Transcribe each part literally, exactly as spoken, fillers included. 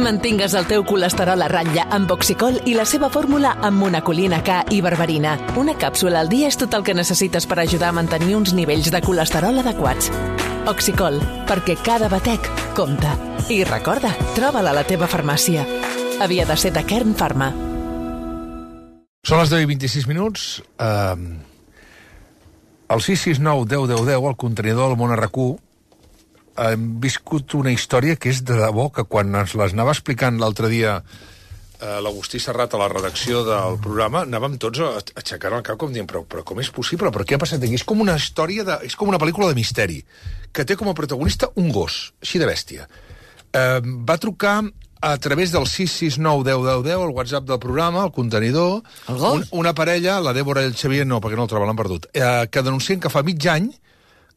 Mantingues el teu colesterol a ratlla amb Oxicol i la seva fórmula amb monacolina K i berberina. Una càpsula al dia és tot el que necessites per ajudar a mantenir uns nivells de colesterol adequats. Oxicol, perquè cada batec compta. I recorda, troba'l a la teva farmàcia. Havia de ser de Kern Pharma. Són les deu i vint-i-sis minuts. Uh, el sis sis nou deu deu deu, el contenidor del Món R Q, hem viscut una història que és de debò, que quan ens les anava explicant l'altre dia eh, l'Agustí Serrat a la redacció del programa, anàvem tots a aixecar el cap com dient, però, però com és possible? Però què ha passat aquí? És com una història, de, és com una pel·lícula de misteri, que té com a protagonista un gos, així de bèstia. Eh, va trucar a través del sis sis nou deu deu deu, el WhatsApp del programa, el contenidor, el gos? Un, una parella, la Dèbora i el Xavier, no, perquè no el troben, l'han perdut, eh, que denuncien que fa mig any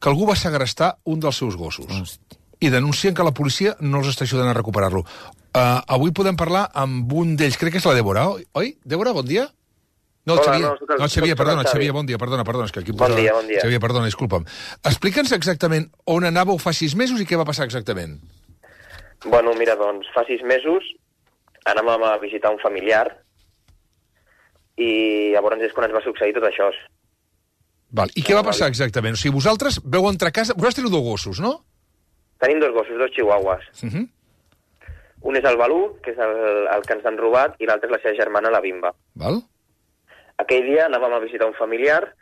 que algú va segrestar un dels seus gossos. Hosti. I denuncien que la policia no els està ajudant a recuperar-lo. Uh, avui podem parlar amb un d'ells, crec que és la Dèbora, oi? Oi? Dèbora, bon dia? No, el Hola, Xavier. no, el, no, el Xavier, perdona, el Xavier, bon dia, perdona, perdona. És que aquí bon posa... dia, bon dia. Xavier, perdona, disculpa'm. Explica'ns exactament on anàveu fa sis mesos i què va passar exactament. Bueno, mira, doncs, fa sis mesos anàvem a visitar un familiar i llavors és quan ens va succeir tot això. Val. I què va passar exactament? O sigui, vosaltres veu entrar a casa... Vosaltres teniu dos gossos, no? Tenim dos gossos, dos chihuahuas. Uh -huh. Un és el Balú, que és el, el que ens han robat, i l'altre és la seva germana, la Bimba. Val. Aquell dia anàvem a visitar un familiar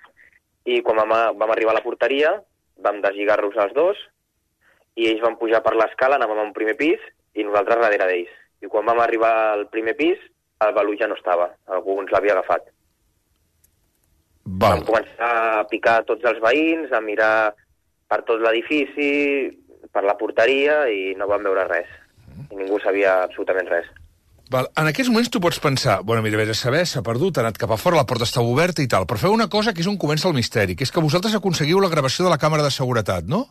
i quan vam, vam arribar a la porteria vam deslligar-los els dos i ells van pujar per l'escala, anàvem a un primer pis i nosaltres darrere d'ells. I quan vam arribar al primer pis, el Balú ja no estava. Algú ens l'havia agafat. Val. Vam començar a picar tots els veïns, a mirar per tot l'edifici, per la porteria, i no vam veure res. I ningú sabia absolutament res. Val. En aquests moments tu pots pensar, bueno, mira, vés a saber, s'ha perdut, ha anat cap a fora, la porta està oberta i tal, però feu una cosa que és on comença el misteri, que és que vosaltres aconseguiu la gravació de la càmera de seguretat, no?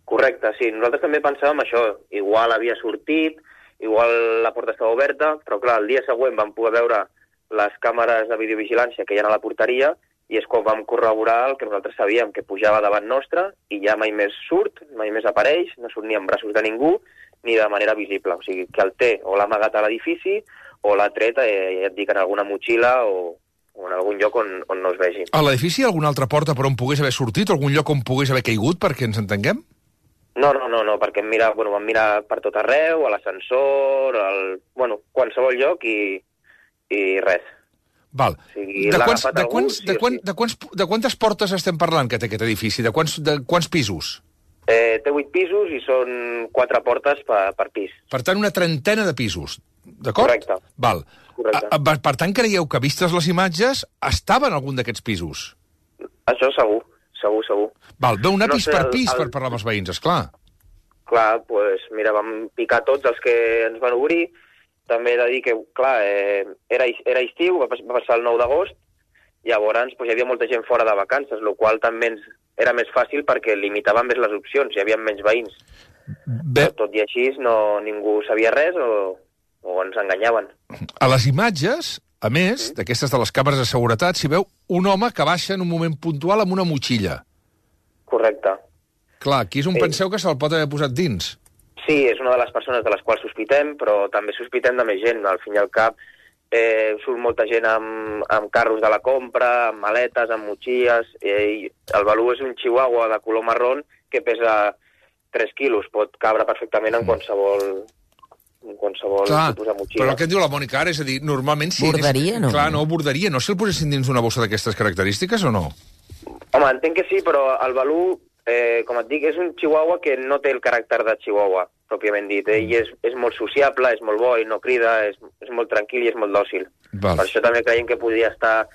Correcte, sí. Nosaltres també pensàvem això. Igual havia sortit, igual la porta estava oberta, però clar, el dia següent vam poder veure les càmeres de videovigilància que hi ha a la porteria i és quan vam corroborar el que nosaltres sabíem, que pujava davant nostre i ja mai més surt, mai més apareix, no surt ni en braços de ningú ni de manera visible. O sigui, que el té o l'ha amagat a l'edifici o l'ha tret, eh, ja et dic, en alguna motxilla o, o en algun lloc on, on no es vegi. A l'edifici hi ha alguna altra porta per on pogués haver sortit, o algun lloc on pogués haver caigut, perquè ens entenguem? No, no, no, no, perquè mira, bueno, vam mirar per tot arreu, a l'ascensor, al... bueno, qualsevol lloc i, i res. Val. O sigui, de, quants, de, algú, quants, sí de, quants, de, quants, de quantes portes estem parlant que té aquest edifici? De quants, de quants pisos? Eh, té vuit pisos i són quatre portes per, per pis. Per tant, una trentena de pisos, d'acord? Correcte. Val. Correcte. A, a, per tant, creieu que, vistes les imatges, estava en algun d'aquests pisos? Això segur, segur, segur. Val, veu anar No pis sé, per el- pis el- per parlar amb els veïns, esclar. Clar, doncs, pues, mira, vam picar tots els que ens van obrir. També he de dir que, clar, eh, era, era estiu, va, va passar el nou d'agost, llavors pues, hi havia molta gent fora de vacances, el qual també ens era més fàcil perquè limitàvem més les opcions, hi havia menys veïns. Bé, Però tot i així no, ningú sabia res o, o ens enganyaven. a les imatges, a més, d'aquestes de les càmeres de seguretat, s'hi veu un home que baixa en un moment puntual amb una motxilla. Correcte. Clar, aquí és on Sí. penseu que se'l pot haver posat dins. Sí, és una de les persones de les quals sospitem, però també sospitem de més gent. Al fin i al cap eh, surt molta gent amb, amb carros de la compra, amb maletes, amb motxilles. Eh, el Balú és un chihuahua de color marrón que pesa tres quilos. Pot cabre perfectament en qualsevol, en qualsevol Clar, tipus de motxilla. però el que em diu la Mònica ara és a dir, normalment... Si Borderia, no? Clar, no, borderia. No si el posessin dins d'una bossa d'aquestes característiques o no? Home, entenc que sí, però el Balú, eh, com et dic, és un chihuahua que no té el caràcter de chihuahua, pròpiament dit. Ell és, és molt sociable, és molt bo, ell no crida, és, és molt tranquil i és molt dòcil. Val. Per això també creiem que podria estar,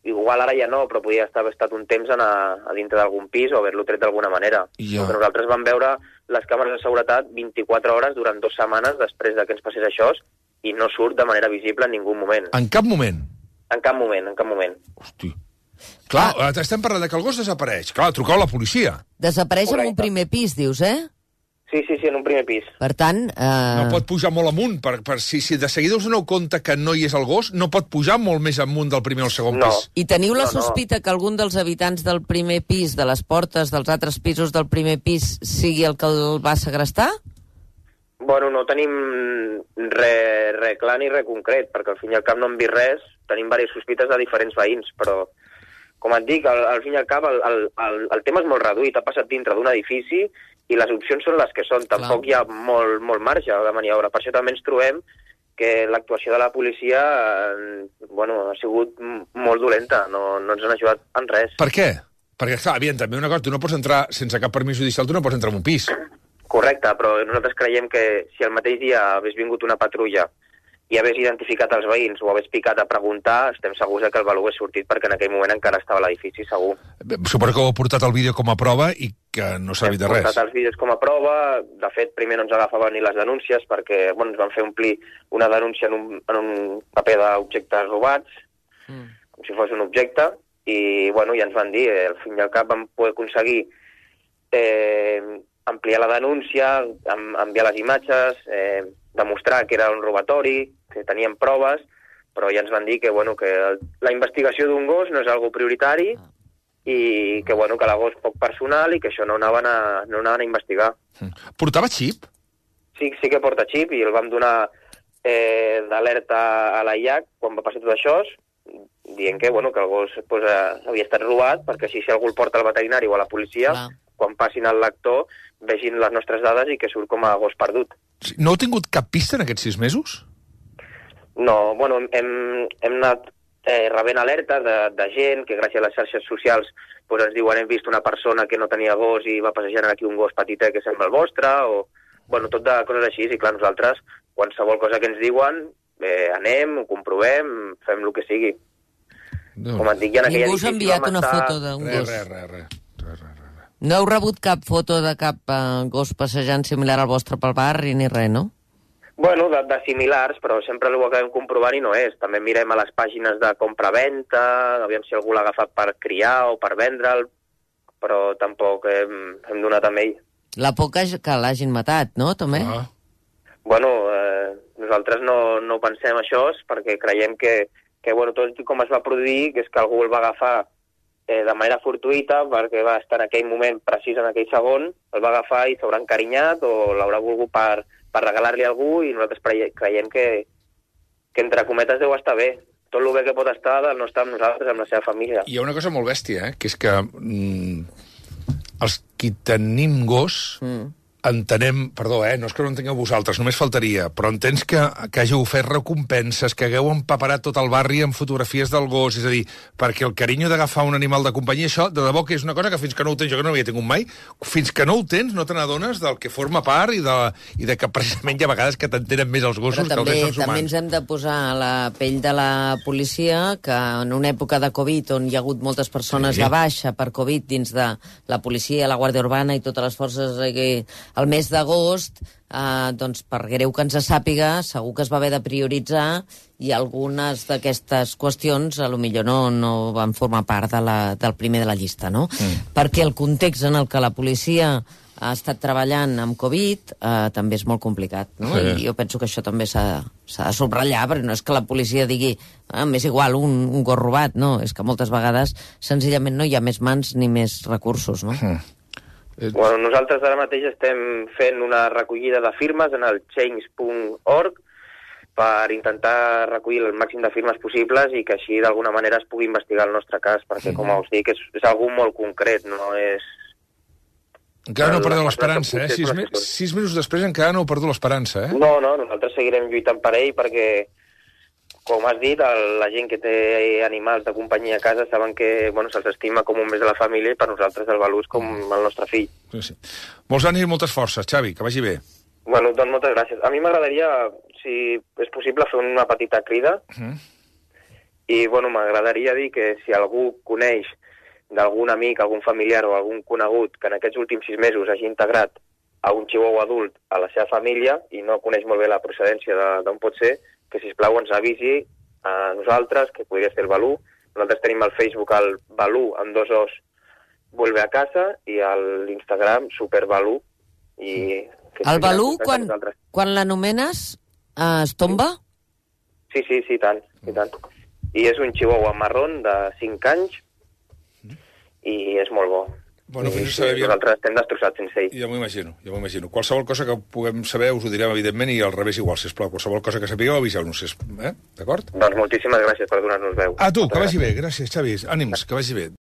igual ara ja no, però podria estar, haver estat un temps en a, a dintre d'algun pis o haver-lo tret d'alguna manera. Ja. Perquè nosaltres vam veure les càmeres de seguretat vint-i-quatre hores durant dues setmanes després de que ens passés això i no surt de manera visible en ningú moment. En cap moment. En cap moment, en cap moment. Hosti. Clar, ah. estem parlant de que el gos desapareix. Clar, trucau a la policia. Desapareix en un Correcte. primer pis, dius, eh? Sí, sí, sí, en un primer pis. Per tant... Eh... No pot pujar molt amunt. Per, per, si, si de seguida us doneu compte que no hi és el gos, no pot pujar molt més amunt del primer o el segon No. pis. I teniu la No, no. sospita que algun dels habitants del primer pis, de les portes dels altres pisos del primer pis, sigui el que el va segrestar? Bueno, no tenim res re clar ni res concret, perquè al fin i al cap no hem vist res. Tenim diverses sospites de diferents veïns, però, com et dic, al, al fin i al cap el, el, el, el tema és molt reduït. Ha passat dintre d'un edifici i les opcions són les que són. Tampoc Clar. Hi ha molt, molt marge de maniobra. Per això també ens trobem que l'actuació de la policia eh, bueno, ha sigut molt dolenta. No, no ens han ajudat en res. Per què? Perquè, clar, aviam, també una cosa, tu no pots entrar sense cap permís judicial, tu no pots entrar en un pis. Correcte, però nosaltres creiem que si el mateix dia hagués vingut una patrulla i hagués identificat els veïns o hagués picat a preguntar, estem segurs que el valor hagués sortit perquè en aquell moment encara estava a l'edifici, segur. Suposo que heu portat el vídeo com a prova i que no s'ha servit de res. Hem portat els vídeos com a prova, de fet primer no ens agafaven ni les denúncies perquè bueno, ens van fer omplir una denúncia en un, en un paper d'objectes robats, mm. com si fos un objecte, i bueno, ja ens van dir, eh, al fin i al cap vam poder aconseguir eh, ampliar la denúncia, enviar les imatges, eh, demostrar que era un robatori, que tenien proves, però ja ens van dir que, bueno, que la investigació d'un gos no és algo prioritari i que, bueno, que la gos poc personal i que això no anaven a, no anaven a investigar. Portava xip? Sí, sí que porta xip i el vam donar eh, d'alerta a la I A C quan va passar tot això, dient que, bueno, que el gos pues, havia estat robat perquè així si algú el porta al veterinari o a la policia, Clar. Quan passin al lector vegin les nostres dades i que surt com a gos perdut. No heu tingut cap pista en aquests sis mesos? No, bueno, hem, hem anat eh, rebent alertes de, de gent que gràcies a les xarxes socials pues, ens diuen hem vist una persona que no tenia gos i va passejant aquí un gos petitet que sembla el vostre, o bueno, tot de coses així, i clar, nosaltres qualsevol cosa que ens diuen eh, anem, ho comprovem, fem el que sigui. No. Com et dic, ja en aquell Ningú s'ha enviat una estar... foto d'un gos? Res, res, res. No heu rebut cap foto de cap uh, gos passejant similar al vostre pel barri ni res, no? Bueno, de, de similars, però sempre ho acabem comprovant i no és. També mirem a les pàgines de compra-venta, aviam si algú l'ha agafat per criar o per vendre'l, però tampoc hem, hem donat amb ell. La por que, que l'hagin matat, no, també? Ah. Bueno, eh, nosaltres no, no pensem això perquè creiem que, que bueno, tot com es va produir, que és que algú el va agafar eh, de manera fortuïta, perquè va estar en aquell moment precís, en aquell segon, el va agafar i s'haurà encarinyat o l'haurà volgut per, per regalar-li a algú i nosaltres creiem que, que entre cometes deu estar bé. Tot el bé que pot estar no estar amb nosaltres, amb la seva família. Hi ha una cosa molt bèstia, eh? Que és que mm, els qui tenim gos mm. entenem, perdó, eh, no és que no entengueu vosaltres, només faltaria, però entens que, que hàgiu fet recompenses, que hagueu empaparat tot el barri amb fotografies del gos, és a dir, perquè el carinyo d'agafar un animal de companyia, això, de debò que és una cosa que fins que no ho tens, jo que no havia tingut mai, fins que no ho tens no te n'adones del que forma part i de, i de que precisament hi ha vegades que t'entenen més els gossos però també, que els éssers humans. També ens hem de posar a la pell de la policia, que en una època de Covid, on hi ha hagut moltes persones sí. de baixa per Covid dins de la policia, la Guàrdia Urbana i totes les forces que el mes d'agost, eh, doncs per greu que ens sàpiga, segur que es va haver de prioritzar i algunes d'aquestes qüestions a lo millor no, no van formar part de la, del primer de la llista, no? Mm. Perquè el context en el que la policia ha estat treballant amb Covid eh, també és molt complicat, no? Sí. I jo penso que això també s'ha de subratllar, perquè no és que la policia digui ah, m'és igual un, un gos robat, no, és que moltes vegades senzillament no hi ha més mans ni més recursos, no? Mm. Bueno, nosaltres ara mateix estem fent una recollida de firmes en el change punt org per intentar recollir el màxim de firmes possibles i que així d'alguna manera es pugui investigar el nostre cas, perquè, com us dic, és, és algú molt concret, no és... Encara no heu perdut l'esperança, eh? Sis, me sis mesos després encara no heu perdut l'esperança, eh? No, no, nosaltres seguirem lluitant per ell perquè, com has dit, el, la gent que té animals de companyia a casa saben que bueno, se'ls estima com un més de la família i per nosaltres el valor és com el nostre fill. Sí, sí. Molts ànims i moltes forces, Xavi, que vagi bé. Bueno, doncs moltes gràcies. A mi m'agradaria, si és possible, fer una petita crida uh-huh. i bueno, m'agradaria dir que si algú coneix d'algun amic, algun familiar o algun conegut que en aquests últims sis mesos hagi integrat a un chihuahua adult a la seva família i no coneix molt bé la procedència d'on pot ser, que sisplau ens avisi a nosaltres, que podria ser el Balú. Nosaltres tenim al Facebook el Balú amb dos os vuelve a casa i a l'Instagram superbalú. I el Balú, quan, quan l'anomenes, eh, es tomba? Sí, sí, sí, tant, i tant. I és un chihuahua marrón de cinc anys i és molt bo. Bueno, I, fins sí, nosaltres estem destrossats sense ell. Ja m'ho imagino, ja m'ho imagino. Qualsevol cosa que puguem saber us ho direm, evidentment, i al revés igual, sisplau. Qualsevol cosa que sapigueu, aviseu-nos, eh? D'acord? Doncs moltíssimes gràcies per donar-nos veu. A tu, que vagi bé. Gràcies, Xavi. Ànims, que vagi bé.